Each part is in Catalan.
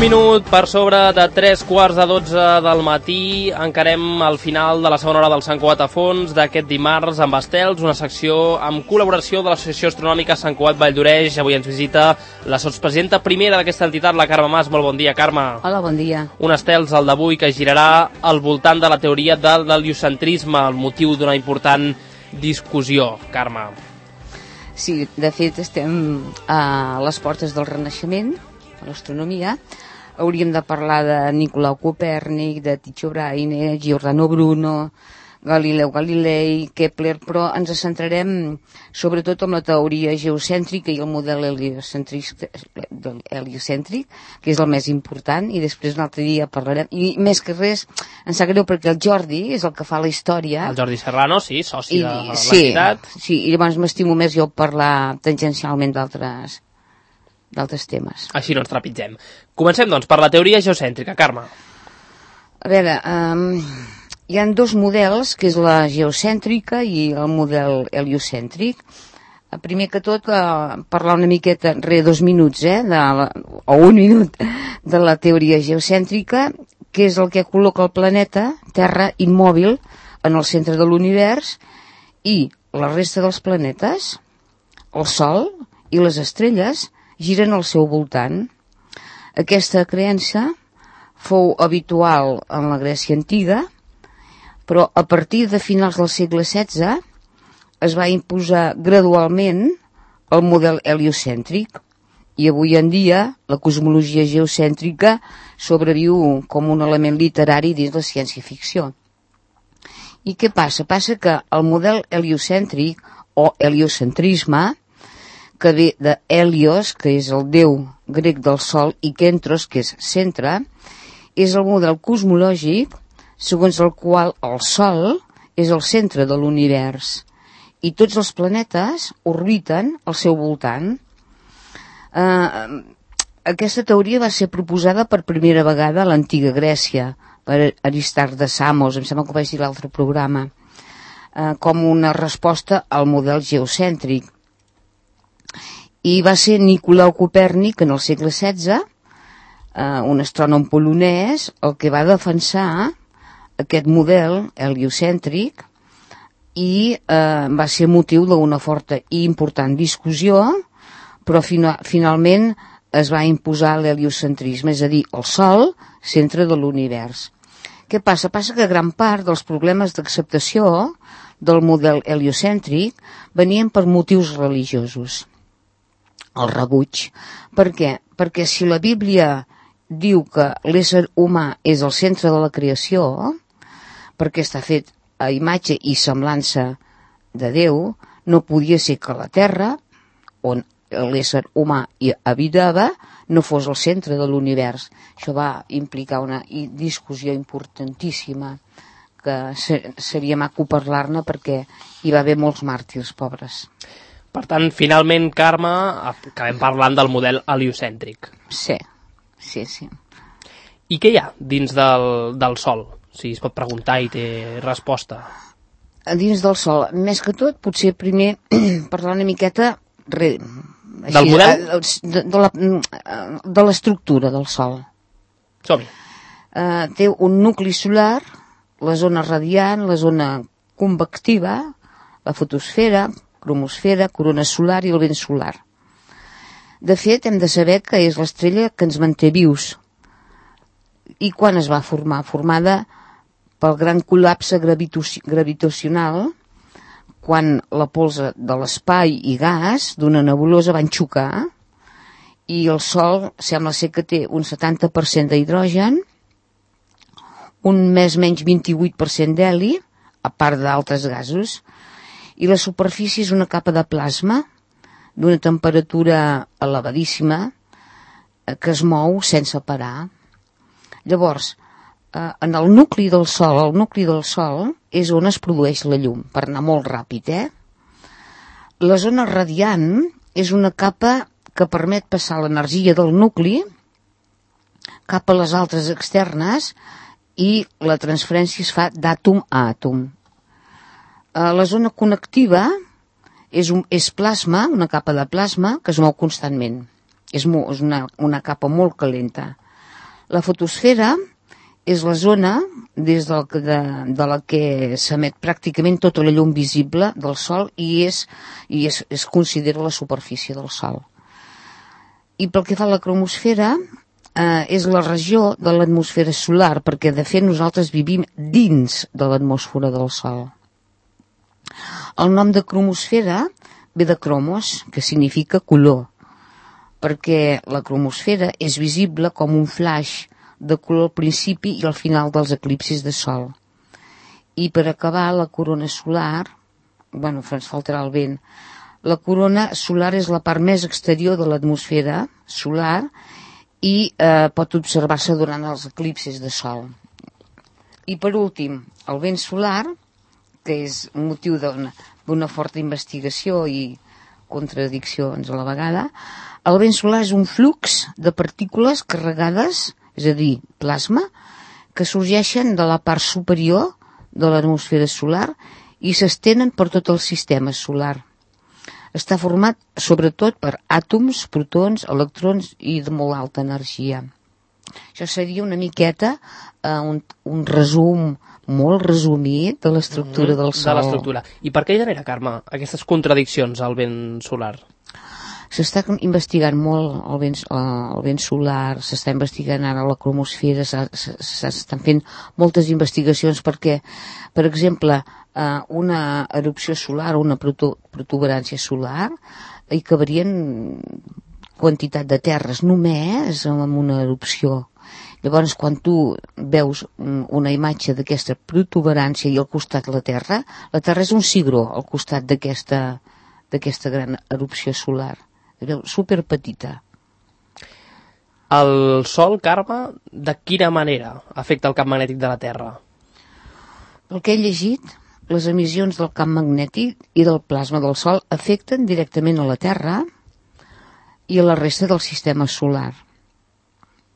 minut per sobre de 3:45 del matí. Encarem el final de la segona hora del Sant Cugat a fons d'aquest dimarts amb estels, una secció amb col·laboració de l'Associació Astronòmica Sant Cugat Valldoreix. Avui ens visita la sotspresidenta primera d'aquesta entitat, la Carme Mas. Molt bon dia, Carme. Hola, bon dia. Un estels, el d'avui, que girarà al voltant de la teoria del heliocentrisme, el motiu d'una important discussió, Carme. Sí, de fet estem a les portes del Renaixement, a l'astronomia. Hauríem de parlar de Nicolau Copèrnic, de Tycho Brahe, Giordano Bruno, Galileu Galilei, Kepler, però ens centrarem sobretot en la teoria geocèntrica i el model heliocèntric, que és el més important, i després un altre dia parlarem. I més que res, em sap greu perquè el Jordi és el que fa la història. El Jordi Serrano, sí, soci de l'entitat. Sí, i llavors m'estimo més jo parlar tangencialment d'altres temes. Així no ens trepitgem. Comencem, doncs, per la teoria geocèntrica, Carme. A veure, hi ha dos models, que és la geocèntrica i el model heliocèntric. Primer que tot, parlar una miqueta, 2 minuts, o 1 minut, de la teoria geocèntrica, que és el que col·loca el planeta, Terra, immòbil, en el centre de l'univers, i la resta dels planetes, el Sol i les estrelles, giren al seu voltant. Aquesta creença fou habitual en la Grècia antiga, però a partir de finals del segle XVI es va imposar gradualment el model heliocèntric i avui en dia la cosmologia geocèntrica sobreviu com un element literari dins la ciència-ficció. I què passa? Passa que el model heliocèntric o heliocentrisme, que ve de Helios, que és el déu grec del Sol, i Kentros, que és centre, és el model cosmològic segons el qual el Sol és el centre de l'univers i tots els planetes orbiten al seu voltant. Aquesta teoria va ser proposada per primera vegada a l'antiga Grècia per Aristarc de Samos, em sembla que ho vaig dir a l'altre programa, com una resposta al model geocèntric. I va ser Nicolau Copèrnic en el segle XVI, un astrònom polonès, el que va defensar aquest model heliocèntric i va ser motiu d'una forta i important discussió, però finalment es va imposar l'heliocentrisme, és a dir, el Sol, centre de l'univers. Què passa? Passa que gran part dels problemes d'acceptació del model heliocèntric venien per motius religiosos. El rebuig. Per què? Perquè si la Bíblia diu que l'ésser humà és el centre de la creació, perquè està fet a imatge i semblança de Déu, no podia ser que la Terra, on l'ésser humà hi habitava, no fos el centre de l'univers. Això va implicar una discussió importantíssima, que seria maco parlar-ne perquè hi va haver molts màrtirs pobres. Per tant, finalment, Carme, acabem parlant del model heliocèntric. Sí. I què hi ha dins del Sol? Si es pot preguntar i té resposta. Dins del Sol, més que tot, potser primer parlar una miqueta del model? De l'estructura del Sol. Som-hi. Té un nucli solar, la zona radiant, la zona convectiva, la fotosfera, cromosfera, corona solar i el vent solar. De fet, hem de saber que és l'estrella que ens manté vius. I quan es va formar? Formada pel gran col·lapse gravitacional, quan la pols de l'espai i gas d'una nebulosa van xocar, i el Sol sembla ser que té un 70% d'hidrogen, un més menys 28% d'heli, a part d'altres gasos, i la superfície és una capa de plasma d'una temperatura elevadíssima que es mou sense parar. Llavors, en el nucli del Sol és on es produeix la llum, per anar molt ràpid, La zona radiant és una capa que permet passar l'energia del nucli cap a les altres externes i la transferència es fa d'àtom a àtom. La zona connectiva és plasma, una capa de plasma que es mou constantment. És una capa molt calenta. La fotosfera és la zona des de la que s'emet pràcticament tota la llum visible del Sol i es considera la superfície del Sol. I pel que fa a la cromosfera, és la regió de l'atmosfera solar, perquè de fet nosaltres vivim dins de l'atmosfera del Sol. El nom de cromosfera ve de cromos, que significa color, perquè la cromosfera és visible com un flaix de color al principi i al final dels eclipsis de Sol. I per acabar, la corona solar, ens faltarà el vent, la corona solar és la part més exterior de l'atmosfera solar i pot observar-se durant els eclipsis de Sol. I per últim, el vent solar, que és motiu d'una forta investigació i contradiccions a la vegada, el vent solar és un flux de partícules carregades, és a dir, plasma, que sorgeixen de la part superior de l'atmosfera solar i s'estenen per tot el sistema solar. Està format sobretot per àtoms, protons, electrons i de molt alta energia. Això seria una miqueta un resum molt resumit de l'estructura del Sol. De l'estructura. I per què genera, Carme, aquestes contradiccions al vent solar? S'està investigant molt el vent solar, s'està investigant ara la cromosfera, s'estan fent moltes investigacions perquè, per exemple, una erupció solar o una protuberància solar hi cabrien quantitat de terres només amb una erupció. Llavors, quan tu veus una imatge d'aquesta protuberància i al costat la Terra és un cigró al costat d'aquesta gran erupció solar. Super petita. El Sol, Carme, de quina manera afecta el camp magnètic de la Terra? Pel que he llegit, les emissions del camp magnètic i del plasma del Sol afecten directament a la Terra i a la resta del sistema solar.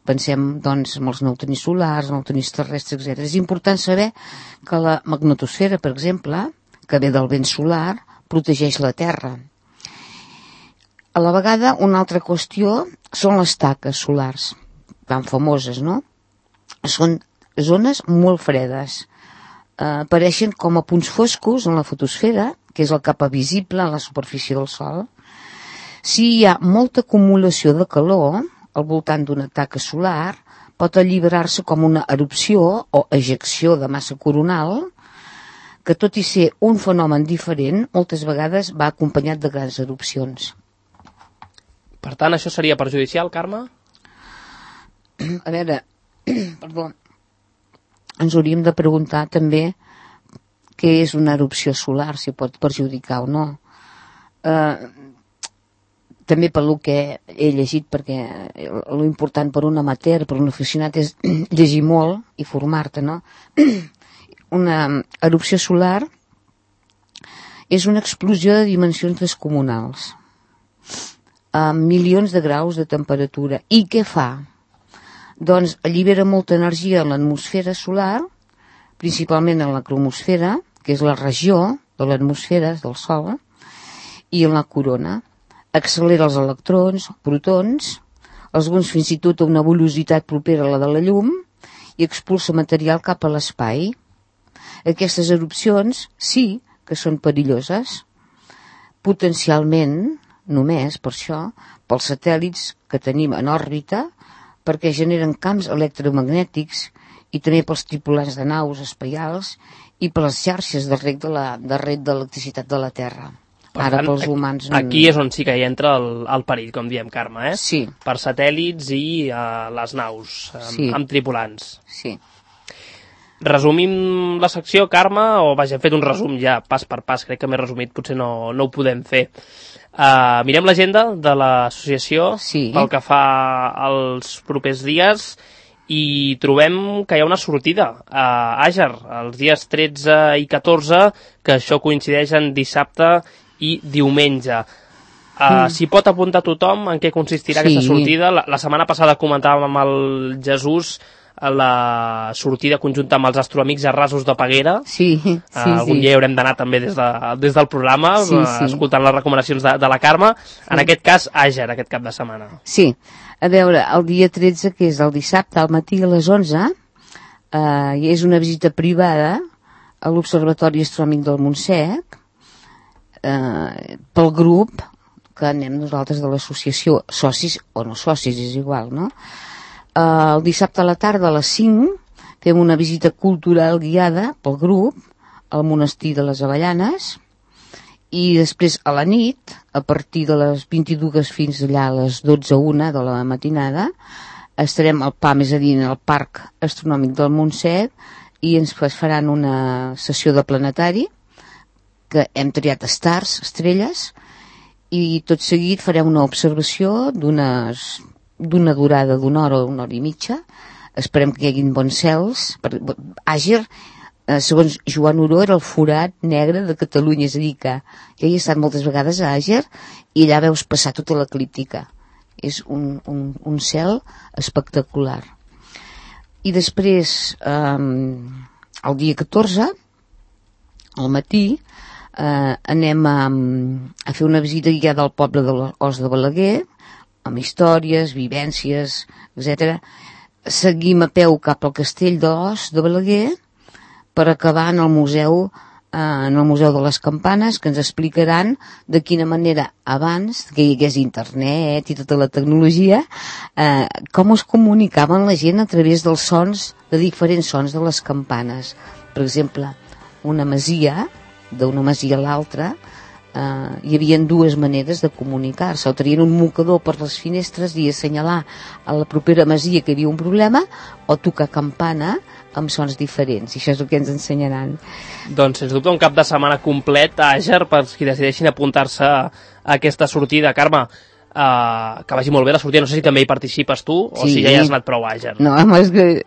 Pensem, doncs, en els neutrins solars, neutrins terrestres, etc. És important saber que la magnetosfera, per exemple, que ve del vent solar, protegeix la Terra. A la vegada, una altra qüestió són les taques solars, tan famoses, no? Són zones molt fredes. Apareixen com a punts foscos en la fotosfera, que és la capa visible a la superfície del Sol. Si hi ha molta acumulació de calor al voltant d'una taca solar, pot alliberar-se com una erupció o ejecció de massa coronal, que tot i ser un fenomen diferent, moltes vegades va acompanyat de grans erupcions. Per tant, això seria perjudicial, Carme? A veure, perdó, ens hauríem de preguntar també què és una erupció solar, si pot perjudicar o no. També pel que he llegit, perquè l'important per un amateur, per un aficionat, és llegir molt i formar-te, no? Una erupció solar és una explosió de dimensions descomunals, amb milions de graus de temperatura. I què fa? Doncs allibera molta energia en l'atmosfera solar, principalment en la cromosfera, que és la regió de l'atmosfera del Sol, i en la corona. Accelera els electrons, protons, alguns fins i tot a una velocitat propera a la de la llum, i expulsa material cap a l'espai. Aquestes erupcions sí que són perilloses, potencialment, només per això, pels satèl·lits que tenim en òrbita, perquè generen camps electromagnètics i també pels tripulants de naus espacials i per les xarxes de reg d'electricitat de la Terra. Ara pels humans... Aquí és on sí que hi entra el perill, com diem, Carme, eh? Sí. Per satèl·lits i les naus, amb tripulants. Sí. Resumim la secció, Carme, o vaja, hem fet un resum ja, pas per pas, crec que més resumit potser no ho podem fer. Mirem l'agenda de l'associació pel que fa als propers dies i trobem que hi ha una sortida a Àger, els dies 13 i 14, que això coincideix en dissabte i diumenge. S'hi pot apuntar tothom en què consistirà aquesta sortida. La setmana passada comentàvem amb el Jesús la sortida conjunta amb els astroamics a Rasos de Peguera. Algun dia haurem d'anar també des del programa, escoltant les recomanacions de la Carme. En aquest cas, Àger, aquest cap de setmana. Sí, A veure, el dia 13, que és el dissabte, al matí a les 11, i és una visita privada a l'Observatori Astronòmic del Montsec, pel grup que anem nosaltres de l'associació, socis o no socis, és igual, no? El dissabte a la tarda a les 5 fem una visita cultural guiada pel grup al monestir de les Avellanes, i després a la nit, a partir de les 22 fins allà a les 12:01 de la matinada, estarem al PAM, és a dir, al Parc Astronòmic del Montsec, i ens faran una sessió de planetari, que hem triat stars, estrelles, i tot seguit farem una observació d'una durada d'una hora o una hora i mitja. Esperem que hi hagin bons cels. Àger, segons Joan Oró, era el forat negre de Catalunya, és a dir, que jo he estat moltes vegades a Àger i allà veus passar tota l'eclíptica. És un cel espectacular. I després, el dia 14, al matí, anem a fer una visita guiada al poble de l'Os de Balaguer, amb històries, vivències, etc. Seguim a peu cap al castell d'Os de Balaguer per acabar en el museu de les Campanes, que ens explicaran de quina manera abans que hi hagués internet i tota la tecnologia, com es comunicaven la gent a través dels sons, de diferents sons de les campanes. Per exemple, d'una masia a l'altra, hi havia dues maneres de comunicar-se. O tenien un mocador per les finestres i assenyalar a la propera masia que hi havia un problema, o tocar campana amb sons diferents, i això és el que ens ensenyaran. Doncs, sens dubte, un cap de setmana complet a Àger per qui decideixin apuntar-se a aquesta sortida. Carme, que vagi molt bé la sortida. No sé si també hi participes tu, o si ja hi has anat prou a Àger. No, és que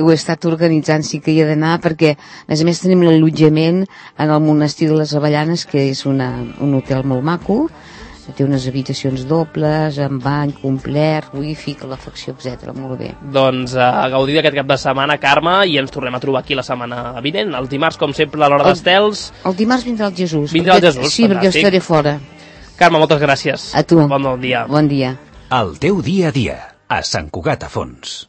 ho he estat organitzant, sí que hi he d'anar, perquè a més tenim l'allotjament en el monestir de les Avellanes, que és un hotel molt maco, té unes habitacions dobles, amb bany complet, wifi, calefacció, etc. Molt bé. Doncs a gaudir d'aquest cap de setmana, Carme, i ens tornem a trobar aquí la setmana vinent. El dimarts, com sempre, a l'hora d'estels. El dimarts vindrà el Jesús. Vindrà el Jesús, sí, perquè jo estaré fora. Carme, moltes gràcies. A tu. Bon dia. Bon dia. El teu dia a dia, a Sant Cugat a Fons.